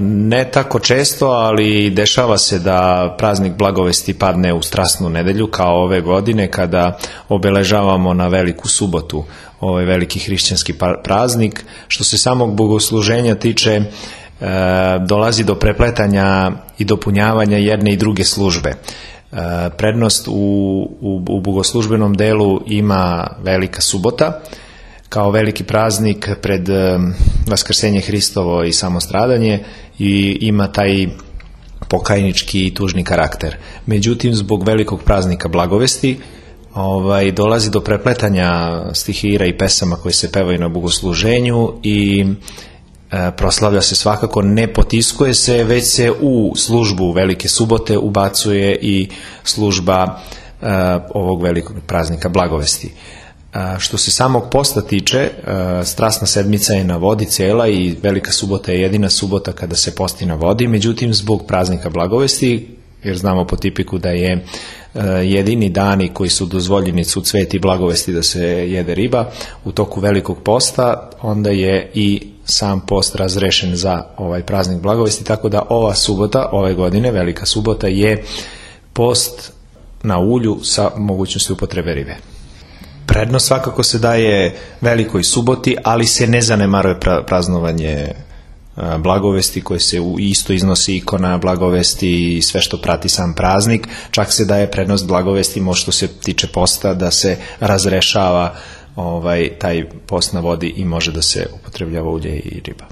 Ne tako često, ali dešava se da praznik Blagovesti padne u Strasnu nedelju, kao ove godine kada obeležavamo na Veliku subotu ovaj veliki hrišćanski praznik. Što se samog bogosluženja tiče, dolazi do prepletanja i dopunjavanja jedne i druge službe. Prednost u bogoslužbenom delu ima Velika subota, kao veliki praznik pred Vaskrsenje Hristovo i samostradanje, i ima taj pokajnički i tužni karakter. Međutim, zbog velikog praznika Blagovesti dolazi do prepletanja stihira i pesama koje se pevaju na bogosluženju i proslavlja se svakako, ne potiskuje se, već se u službu Velike subote ubacuje i služba ovog velikog praznika Blagovesti. Što se samog posta tiče, Strasna sedmica je na vodi cela i Velika subota je jedina subota kada se posti na vodi, međutim zbog praznika Blagovesti, jer znamo po tipiku da je jedini dani koji su dozvoljeni su Cvet i Blagovesti da se jede riba u toku Velikog posta, onda je i sam post razrešen za ovaj praznik Blagovesti, tako da ova subota, ove godine, Velika subota, je post na ulju sa mogućnosti upotrebe ribe. Prednost svakako se daje Velikoj suboti, ali se ne zanemaruje praznovanje Blagovesti, koje se isto iznosi ikona Blagovesti i sve što prati sam praznik. Čak se daje prednost Blagovesti, što se tiče posta, da se razrešava taj post na vodi i može da se upotrebljava ulje i riba.